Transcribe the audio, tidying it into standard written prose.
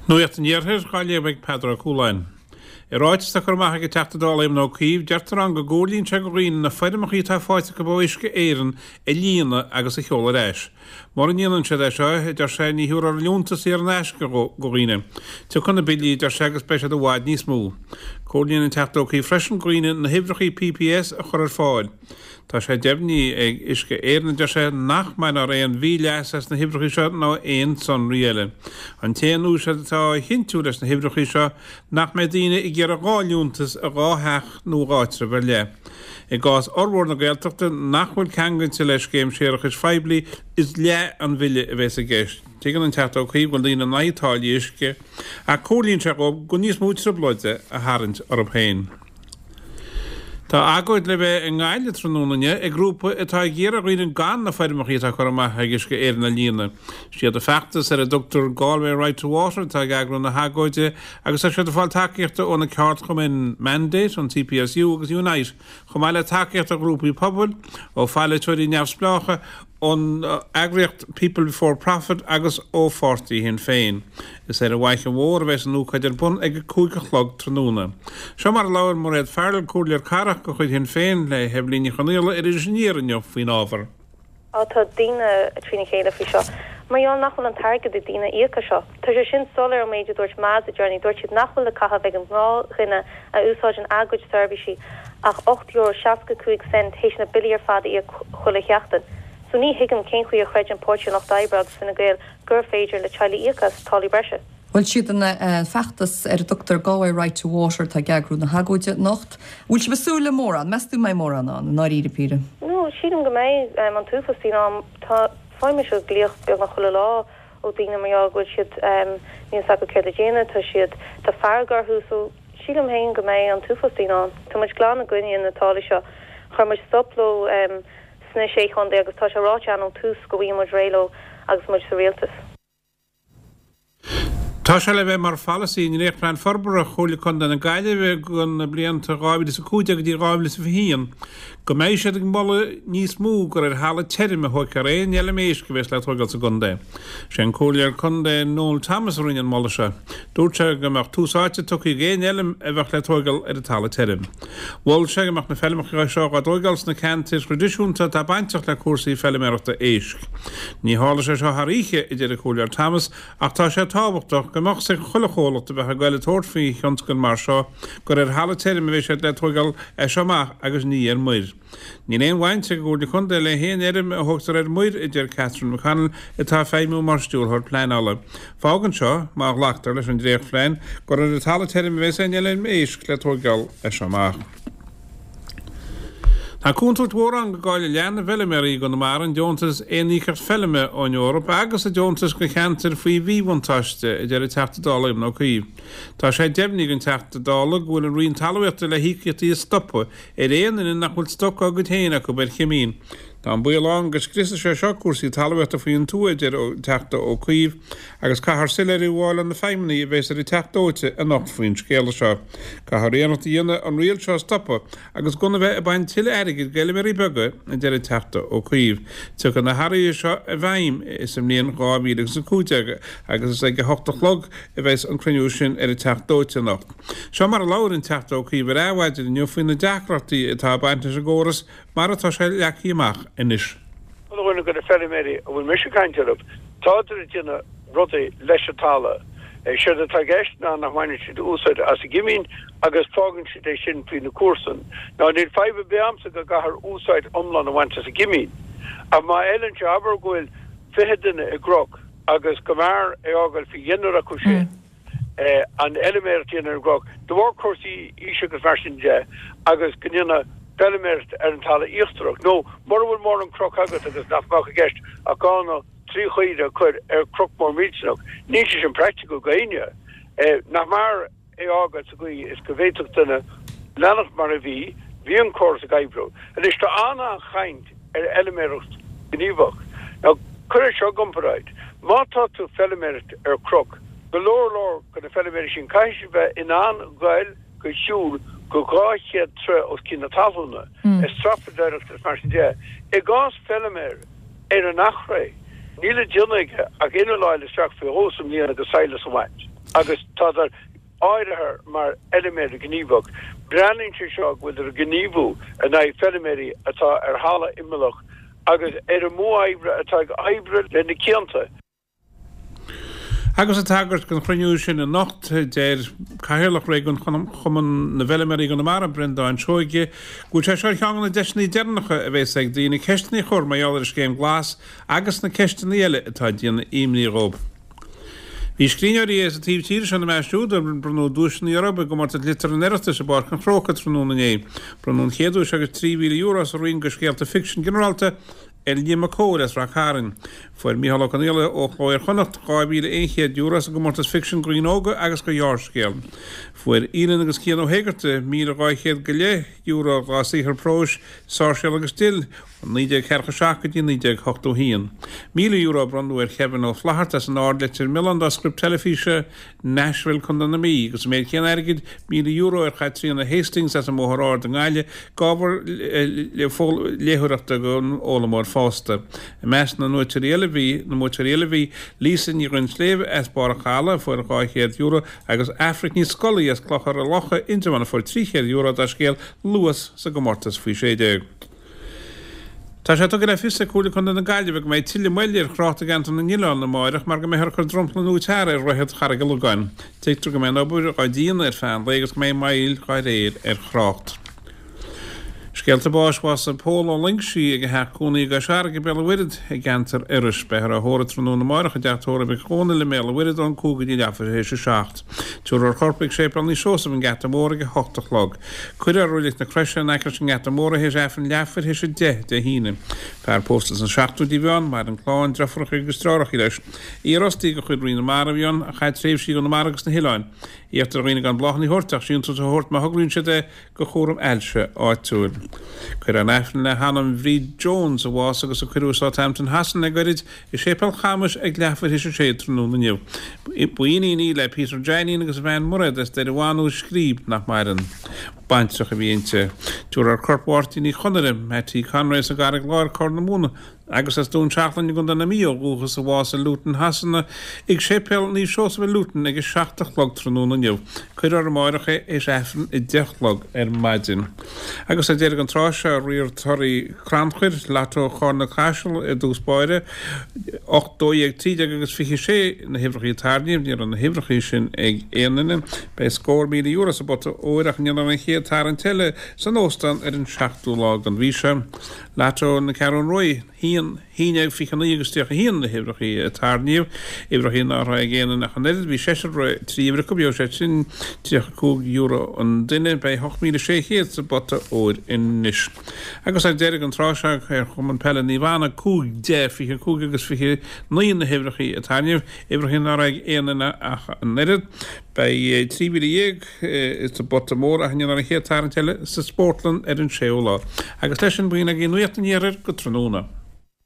Nuacht an Iarthair dhá léamh ag Peadar Ó Cualáin. I ráiteas atá curtha amach ag an Teachta Dála Éamon Ó Cuív, deirtear ann go gcomhairlíonn sé go dhaoine na foirmeacha atá faighte acu ó Uisce Éireann a líonadh agus a sheoladh ar ais. Mura ndéanann siad é seo, a deir sé, ní thabharfar liúntas saor in aisce go dhaoine. Tiocfaidh na billí, a deir sé, agus beidh siad i bhfad níos mó. Comhairlíonn an Teachta Ó Cuív freisin go dhaoine na huimhreacha PPS a chur ar fáil. Tá sé deimhnithe ag Uisce Éireann, a deir sé, nach mbainfear aon mhíleas as na huimhreacha seo ná aon sonraí eile. An t-aon úsáid atá á chinntiú leis na huimhreacha seo nach mbeidh daoine ag iarraidh 2 liúntas i 2 theach nó dhá áitreabh ar leith. I gcás fhormhór na Gaeltachta nach bhfuil ceangailte le scéim séarachais phoiblí, is leath an bhille a bheas i gceist. Tuigeann an Teachta Ó Cuív go bhfuil daoine in aghaidh táillí uisce, ach comhairlíonn sé dhóibh gan níos mó trioblóide a tharraingt orthu féin. Tá agóid le bheith i nGaillimh tráthnóna inniu ag grúpa atá ag iarraidh ar dhaoine gan na foirmeacha atá curtha amach ag Uisce Éireann a líonadh. Siad an feachtas ar a dtugtar Galway Right to Water atá ag eagrú na hagóide agus tá siad ag fáil tacaíochta ó na ceardchumainn Mandate, an CPSU agus Unite chomh maith le tacaíocht ó ghrúpaí pobail, ó pholaiteoirí neamhspleácha, ón eagraíocht People Before Profit agus ó pháirtí Shinn Féin. Is ar an bhFaiche Mhór a bheas an ócáid ar bun ag 5 a chlog tráthnóna. Seo mar a labhair Mairéad Farrell, Comhairleoir Cathrach de chuid Shinn Féin, le hEibhlín Ní Chonghaile ar Iris Aniar inniu faoin ábhar. Tá daoine trína chéile faoi seo mar gheall nach bhfuil an t-airgead ag daoine íoc as seo. Tá sé sin soiléir ón méid a dúirt Meas le deireanaí. Dúirt siad nach bhfuil le caitheamh ag an ngnáthdhuine a úsáideann a gcuid seirbhísí ach €8.65 théis na billí ar fad a íoc chuile sheachtain. So ní thuigim cén chaoi a chreideann Páirtí an Lucht Oibre agus Fine Gael gur féidir le teaghlaigh íoc as táillí breise. Bhuel, siad an feachtas ar a dtugtar Galway Right to Water atá ag eagrú na hagóide anocht. Bhfuil sibh ag súil le mórán? Meas tú an mbeidh mórán ann, i ndáiríre píre? No, sílim go mbeidh an t-uafás daoine ann. Tá, faighim mise glaoch beagnach chuile lá ó daoine mar gheall go bhfuil siad, níl fhios acu céard a dhéanamh, tá siad, tá fearg orthu so sílim féin go mbeidh an t-uafás daoine ann. Tá muid glan i gcoinne na táillí seo. Chuir muid stop leo sna Sé Chontae agus tá sé ráite againn ón tús go bhfaighidh muid réidh leo agus muid sa rialtas. Tá sé le bheith mar pholasaí i ndréachtphlean forbartha Chomhairle Contae na Gaillimhe do na blianta 2015 go dtí 2021 go mbeidh siad ag moladh níos mó gur ar thalamh tirim a thógfar aon fheilm éisc a bheas le tógáil sa gcontae. Sé an Comhairleoir Contae Noel Thomas a rinne an moladh seo. Dúirt sé go mbeadh tús áite tugtha ag aon fheilm a bheadh le tógáil ar an talamh tirim. Mhol sé go mbeadh na feilmeacha seo dhá dtógáil sna ceantair thraidisiúnta atá bainteach le cúrsaí feilméarachta éisc. Ní tharlóidh sé seo thar oíche, a deir an Comhairleoir Thomas, ach tá sé tábhachtach go mbeadh 's ag chuile chomhlacht a bheadh ag goil ag tabhairt faoi thionscal mar seo gur ar thalamh tirim a bheidh siad le tógáil as seo amach agus ní ar muir. Níl aon bhaint ag an gComhairle Contae le haon fheirm a thógtar ar muir, a deir Catherine McConnell, atá ag feidhmiú mar Stiúrthóir Pleanála. Fágann seo, má ghlactar leis an dréachtphlean, gur ar an talamh tirim a bheas aon fheilm éisc le tóigeáil as seo amach. Tá contúirt mhór ann go gcaillfidh leath na bhfeilméaraí i gConamara an deontas Aon Íocaíocht Feilme ón Eoraip agus an deontas do cheantair faoi mhíbhuntáiste, a deir an Teachta Dála Éamon Ó Cuív. Tá sé deimhnithe ag an Teachta Dála go bhfuil an Roinn Talmhaíochta le híocaíochtaí a stopadh ar aon duine nach bhfuil stoc dá gcuid féin acu ar chimín. Tá an baol ann go scriosfaidh sé seo cúrsaí talmhaíochta faoin tuath, a deir an Teachta Ó Cuív, agus caithfear soiléiriú a fháil ó na feidhmeannaigh a bheas ar an Teach Dóite anocht faoin scéala seo. Caithfear iarracht a dhéanamh an riail seo a stopadh agus gan a bheith ag baint tuilleadh airgid d'fheilméaraí beaga, a deir an Teachta Ó Cuív. Tiocfaidh na hathruithe seo i bhfeidhm sa mbliain 2015 agus is ag a hocht a chlog a bheas an cruinniú sin ar an Teach Dóite anocht. Seo mar a labhair an Teachta Ó Cuív ar Adhmhaidin inniu faoi na deacrachtaí atá ag baint leis an gcóras mar atá sé leagtha amach anois. Chuile dhuine de na feilméaraí a bhfuil mise ag caint orthu, tádar ag déanamh rudaí leis an talamh. Séard atá i gceist ná nach mbaineann siad úsáid as an gcimín agus fágann siad é sin faoi na comharsain. Now níl fadhb ar bith a'msa go gcaithfear úsáid iomlán a bhaint as an gcimín. Ach má fheileann sé, abair go bhfuil 20 duine i gcnoc agus go mb'fhearr é fhágáil faoi dheichniúr acu sin, an fheilméaracht a dhéanamh ar an gcnoc, de bharr cúrsaí aoise agus mar sin de, agus go ndéanadh feilméaracht ar an talamh íochtarach. Nó mura bhfuil mórán cnoc agat agus nach mbeadh i gceist ach dhá nó 3 chaora a chur ar chnoc mór millteanach, níl sé sin praiticiúil go éinne. Nach mb'fhearr é fhágáil sa gcaoi is go bhféadfadh duine leanacht mar a bhí, bhí an córas ag oibriú. Anois tá an-an-chaint ar fheilméaracht ghníomhach. Now cuir é seo i gcomparáid, má tá tú ag feilméaracht ar chnoc, go leor leor de na feilméaraí sin, caithfidh siad bheith in ann goil go shiúl go 200 troigh os cionn na talúna, ag strapadóireacht is mar sin de. I gcás feilméar ar an Achréidh, níl le déanamh aige ach inneall a fháil isteach faoi dhó sa mbliain agus sadhlas a bhaint. Agus tádar áirithe mar fheiliméar gníomhach. Breathnaíonn sé seo go bhfuiltear ag gníomhú in aghaidh feiliméirí atá ar thalamh imeallach agus ar an modh oibre atá ag oibriú le na cianta. Agus ag tagairt don chruinniú sin anocht, deir Cathaoirleach Réigiún Chumann na bhFeiliméaraí i gConamara, Breandán Seoige, go bhfuil sé seo ar cheann de na deiseanna deireanacha a bheas ag daoine ceisteanna a chur mar gheall ar an scéim Glas agus na ceisteanna eile atá ag déanamh imní dhóibh. Bhí scríbhneoirí as an taobh tíre seo ina measc siúd ar bronnadh duaiseanna orthu i gcomórtas liteartha an Oireachtais i bPáirc an Chrócaigh tráthnóna inné. Bronnadh an chéad duais agus €3,000 sa roinn do scéalta ficsin ginearálta ar Liam Mac Cóil as Rath Cairn. Fuair Mícheál Ó Conghaile ó Chló Iar-Chonnacht €2,100 sa gcomórtas ficsin do dhaoine óga agus do ghearrscéal. Fuair Aoileann agus Cian Ó hÉigeartaigh €1,200 go leith dá saothar próis, Sáirséal agus Dill, ó 1947 go dtí 1981. €1,000 a bronnadh ar Kevin Ó Flaithearta as an Ard, Leitir Mealláin dá script teilifíse, Nashville, Co. na Mí, agus an méid céanna airgid, €1,000 ar Chaitríona Hastings as an mBóthar Ard i nGaillimh, d'ábhar léitheoireachta don fhoghlaimeoir fásta. I measc na mbuaiteoirí eile bhí, na mbuaiteoirí eile bhí, Lisa Ní Dhuinnshléibhe as Barr an Chalaidh a fuair €200 agus Aifric Ní Scolaí as Clochar a' Locha, Indreabhán a fuair €300 dá scéal Luas sa gcomórtas faoi 16. Tá sé tugtha le fios ag Comhairle Contae na Gaillimhe go mbeidh tuilleadh moille ar thrácht i gceantar na nOileán amáireach mar go mbeifear ag cur dromchla nua tarr ar Dhroichead Charraig an Logáin. Tuigtear go mbeidh an obair á déanamh ar feadh an lae agus go mbeidh moill dá réir ar thrácht. Scéalta báis Bhásaigh Pól Ó Loingsigh ag a theach cónaí i gCois Fharraige, Béal an Mhuirthead, i gceantar Iorrais. Beifear á thórramh tráthnóna amáireach i dteach tórraimh Mhic Dhónaill i mBéal an Mhuirthead ón 5 go dtí leathuair théis a 7. Tabharfar a chorp ag Séipéal Naomh Seosamh, an Geata Mór, ag a 8 a chlog. Cuirfear i Reilig na Croise in aice leis an nGeata Mór é théis Aifreann leathuair théis 10 Dé hAoine. Fear pósta sna seachtóidí a bhí ann, maireann clann, deirfiúracha agus deartháireacha leis. Iarfhostaí de chuid Roinn na Mara a bhí ann, a chaith tréimhsí i gConamara agus sna hoileáin. Iarrtar ar dhaoine gan bláthanna a thabhairt ach síntiús a thabhairt má thograíonn siad é do chúram ailse áitiúil. Cuirfear an Aifreann le hanam Bhríd Jones, a bhásaigh agus a cuireadh i Southampton Shasana le goirid, i Séipéal Chamuis ag leathuair théis a sé tráthnóna inniu. Ba iníon í le Peter Jainín agus a bhean Mairéad as Doire Bhanú, Scríb, nach maireann. Baintreach a bhí inti. Tabharfar corp Mháirtín Uí Chonaire, Mattie Conroy as an gCarraig Láir, Corr na Móna, agus as Dún Seachlainn i gContae na Mí ó dhúchas a bhásaigh i Luton Shasana ag Séipéal Naomh Seosamh i Luton ag 7 a chlog tráthnóna inniu. Cuirfear amáireach é théis Aifreann 10 a chlog ar maidin. Agus ar deireadh an tráth seo riar torthaí crannchuir, Lotto Charna Caiseal i dtús báire, 8, 12, 13 agus 26 na huimhreacha a tarraingíodh, ní raibh na huimhreacha sin ag aon duine. Beidh scór €1,000 sa bpota óir ach ndéanfar an chéad tarraingt eile san óstán ar an seachtú lá den mhí seo. Lotto na Ceathrún Rua, 1, 11, 29 agus 31 na huimhreacha a tarraingíodh, uimhreacha ná raibh ag aon duine ach an oiread. Bhí seisear a raibh 3 uimhir acu, gheobhaidh siad sin €35 an duine. Beidh 8,600 sa bpota óir anois. Agus ar deireadh an tráth seo ar Chumann Peile Naomh Anna, 5, 10, 25 agus 29 na huimhreacha a tarraingíodh, uimhreacha ná raibh ag aon duine ach an oiread. Beidh 13,000 sa bpota mór ach ndéanfar an chéad tarraingt eile sa spórtlann ar an séú lá. Agus leis sin, b'in agaibh Nuacht an Iarthair go tráthnóna.